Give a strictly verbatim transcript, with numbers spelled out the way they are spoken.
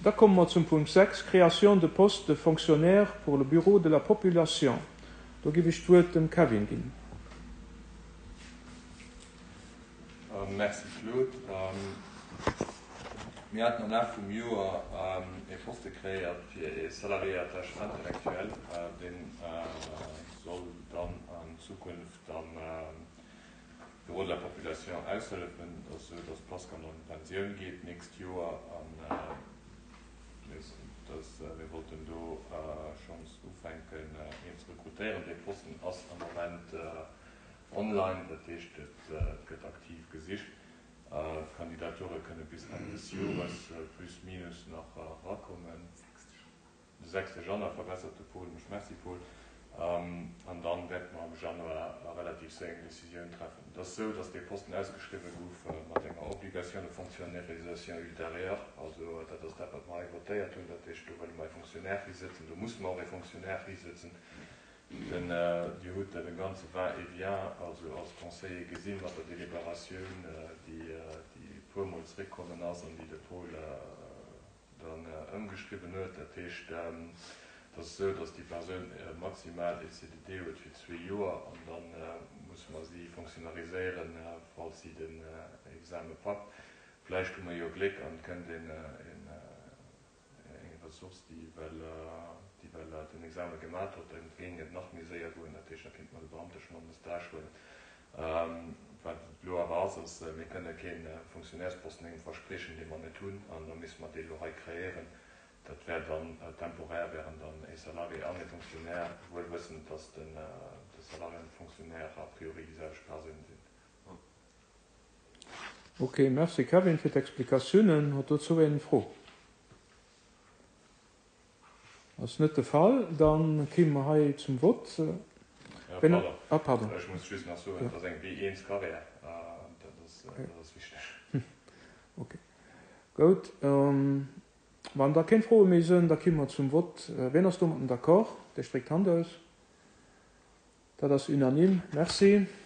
Da komme mer zum Punkt sechs, Création de postes de fonctionnaires pour le Bureau de la population. Do géif ech d'Wuert dem Kevin ginn. Merci Claude. Mir haten am Laf vum Joer ee Poste kreéiert fir ee Salarié à tâche intellectuelle, dee soll dann an Zukunft am Bureau de la population aushëllefen. Et ass esou, dass d'Pascale an d'Pensioun geet d'nächst Joer an mir wollten do schonns ufänken een ze rekrutéieren. Dee Posten ass am Moment online, dat heescht et gëtt aktiv gesicht. D'Kandidature kënne bis Enn des Jores plus minus nach erakommen. De sechste Januar, verbessert de Paul mech. Merci Paul. An dann wäerte mer am Januar relativ séier eng Decisioun treffen. Et ass esou, dass dee Posten ausgeschriwwe gouf mat enger Obligation de fonctionnairisation ultérieure. Also dat ass dat, wat mer hei votéiert hunn. Dat heescht, do wëlle mer e Fonctionnaire hisëtzen. Do musse mer och e Fonctionnaire hisëtzen. Denn Dir hutt dat e ganze Va-et-vient, also als Conseiller gesinn, mat der Deliberatioun, déi e puermol zréckkommen ass an déi de Paul dann ëmgeschriwwen huet. Dat heescht, et ass esou, dass déi Persoun maximal e C D D huet fir zwee Joer an da musse mer si fonctionnariséieren, falls si den Exame packt. Vläicht hu mer jo Gléck an et kënnt een eng Ressource, déi well déi well den Exame gemat huet, dann géing et nach méi séier goen. Dat heescht, da kéinte mer de Beamte schonn an de Stage huelen. Wat et elo awer ass, ass, mir kënne kee Fonctionnairesposten engem verspriechen, dee mer net hunn, an da misste mer dee elo hei kreéieren. Dat wär dann temporär, wären dann e Salarié an e Fonctionnaire, wuel wëssend, dass de Salarié an de Fonctionnaire a priori déi selwecht Persoun sinn. Ok, merci Kevin fir d'Explikatiounen. Huet dozou een Fro? Ass net de Fall, dann kéime mer hei zum Vott. Pardon. Ah, pardon. Ech muss just nach soen, et ass eng B eent Carrière, dat ass, dat ass wichteg. Ok, goud. Wann da keng Froe méi sinn, da kéime mer zum Vott. Wien ass domatten d'accord? Dee streckt d'Hand aus. Dat ass unanime. Merci.